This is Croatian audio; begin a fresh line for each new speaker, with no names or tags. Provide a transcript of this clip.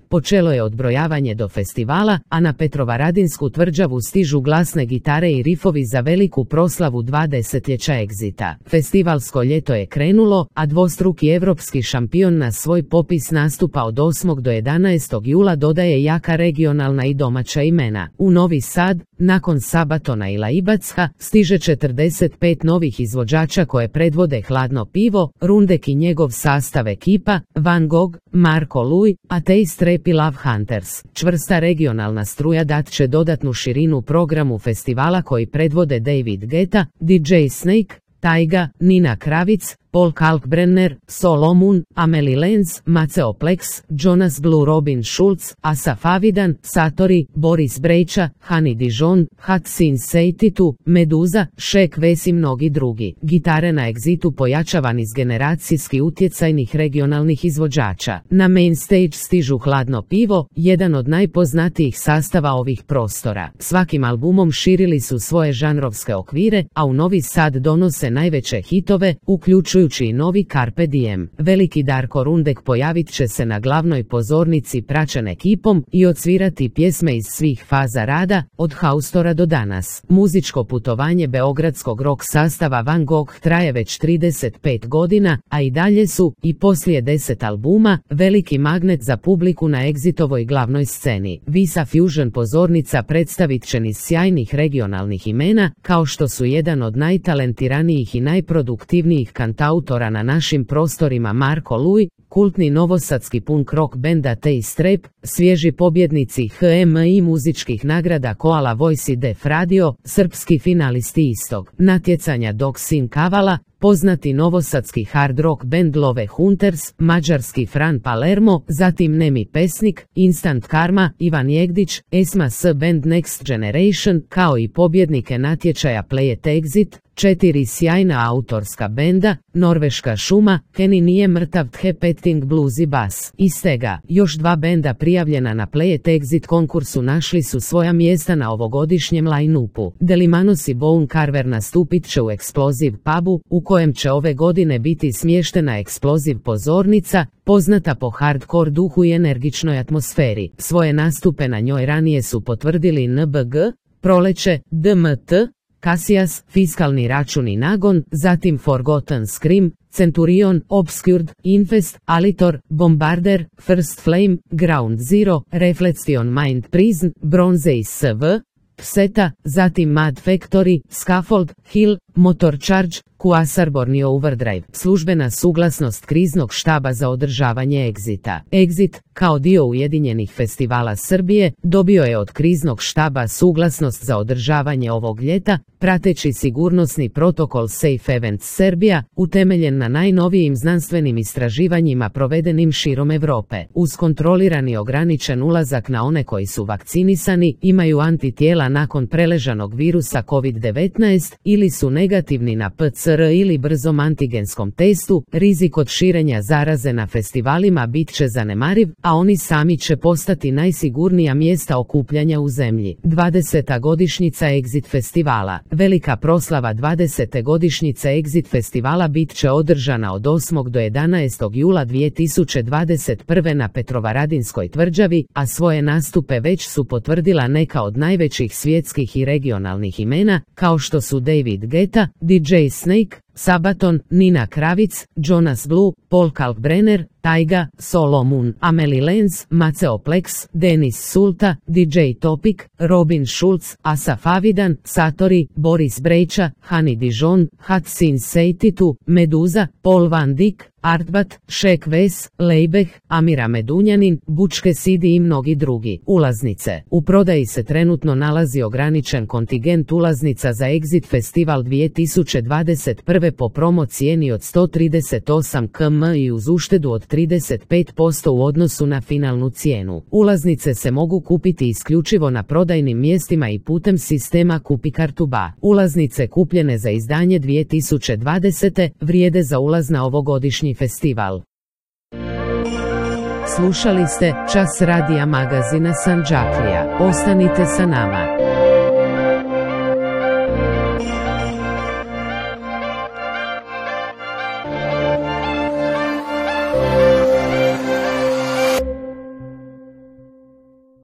počelo je odbrojavanje do festivala, a na Petrovaradinsku tvrđavu stižu glasne gitare i rifovi za veliku proslavu 2 desetljeća Exita. Festivalsko ljeto je krenulo, a dvostruki evropski šampion na svoj popis nastupa od 8. do 11. jula dodaje jaka regionalna i domaća imena. U Novi Sad, nakon Sabatona i Laibacka, stiže 45 novih izvođača koje predvode Hladno pivo, Rundek i njegov sastav ekipa, Van Gogh, Marko Luj, Ateist Rap i Love Hunters. Čvrsta regionalna struja dat će dodatnu širinu programu festivala koji predvode David Guetta, DJ Snake, Tyga, Nina Kravic, Paul Kalkbrenner, Solomon, Amelie Lenz, Maceo Plex, Jonas Blue, Robin Schulz, Asaf Avidan, Satori, Boris Brejča, Hani Dijon, Hatsin Seititu, Meduza, Šek Ves i mnogi drugi. Gitare na Exitu pojačavan iz generacijski utjecajnih regionalnih izvođača. Na main stage stižu Hladno pivo, jedan od najpoznatijih sastava ovih prostora. Svakim albumom širili su svoje žanrovske okvire, a u Novi Sad donose najveće hitove, uključujući i novi Carpe Diem. Veliki Darko Rundek pojavit će se na glavnoj pozornici praćen ekipom i odsvirati pjesme iz svih faza rada, od haustora do danas. Muzičko putovanje beogradskog rock sastava Van Gogh traje već 35 godina, a i dalje su, i poslije 10 albuma, veliki magnet za publiku na Exitovoj glavnoj sceni. Visa Fusion pozornica predstavit će niz sjajnih regionalnih imena, kao što su jedan od najtalentiranijih i najproduktivnijih kantautora na našim prostorima Marko Luj, kultni novosadski punk rock bend Ateist Rap, svježi pobjednici HMI muzičkih nagrada Koala Voice i Def Radio, srpski finalisti istog natjecanja Dog Sin Kavala, poznati novosadski hard rock band Love Hunters, mađarski Fran Palermo, zatim Nemi Pesnik, Instant Karma, Ivan Jegdić, Esma S band Next Generation, kao i pobjednike natječaja Play It Exit, 4 sjajna autorska benda, Norveška šuma, Kenny nije mrtav, The Petting Blues i Bass. Iz tega, još 2 benda prijavljena na Play It Exit konkursu našli su svoja mjesta na ovogodišnjem line-upu. Delimanos i Bone Carver nastupit će u Explosive pubu, u kojem će ove godine biti smještena Explosive pozornica, poznata po hardcore duhu i energičnoj atmosferi. Svoje nastupe na njoj ranije su potvrdili NBG, Proleće, DMT, Cassius, Fiskalni račun i Nagon, zatim Forgotten Scream, Centurion, Obscured, Infest, Alitor, Bombarder, First Flame, Ground Zero, Reflection Mind Prison, Bronze i SV, Pseta, zatim Mad Factory, Scaffold, Hill, Motor Charge, Quasar Borneo Overdrive. Službena suglasnost kriznog štaba za održavanje Exita. Exit, kao dio Ujedinjenih festivala Srbije, dobio je od kriznog štaba suglasnost za održavanje ovog ljeta, prateći sigurnosni protokol Safe Events Serbia, utemeljen na najnovijim znanstvenim istraživanjima provedenim širom Europe. Uz kontrolirani ograničen ulazak na one koji su vakcinisani, imaju antitijela nakon preležanog virusa COVID-19 ili su negativni na PCR ili brzom antigenskom testu, rizik od širenja zaraze na festivalima bit će zanemariv, a oni sami će postati najsigurnija mjesta okupljanja u zemlji. 20. godišnjica Exit festivala. Velika proslava 20. godišnjice Exit festivala bit će održana od 8. do 11. jula 2021. na Petrovaradinskoj tvrđavi, a svoje nastupe već su potvrdila neka od najvećih svjetskih i regionalnih imena, kao što su David Guetta, DJ Snake, Sabaton, Nina Kravic, Jonas Blue, Paul Kalkbrenner, Tyga, Solomon, Amelie Lenz, Maceo Plex, Denis Sulta, DJ Topic, Robin Schulz, Asaf Avidan, Satori, Boris Brejča, Hani Dijon, Hatsin Seititu, Meduza, Paul Van Dyk, Artbat, Šek Ves, Leibeh, Amira Medunjanin, Bučke Sidi i mnogi drugi. Ulaznice. U prodaji se trenutno nalazi ograničen kontingent ulaznica za Exit Festival 2021. po promo cijeni od 138 km i uz uštedu od 35% u odnosu na finalnu cijenu. Ulaznice se mogu kupiti isključivo na prodajnim mjestima i putem sistema Kupi kartu BA. Ulaznice kupljene za izdanje 2020. vrijede za ulaz na ovogodišnji festival. Slušali ste Čas radija magazina Sandžaklija. Ostanite sa nama.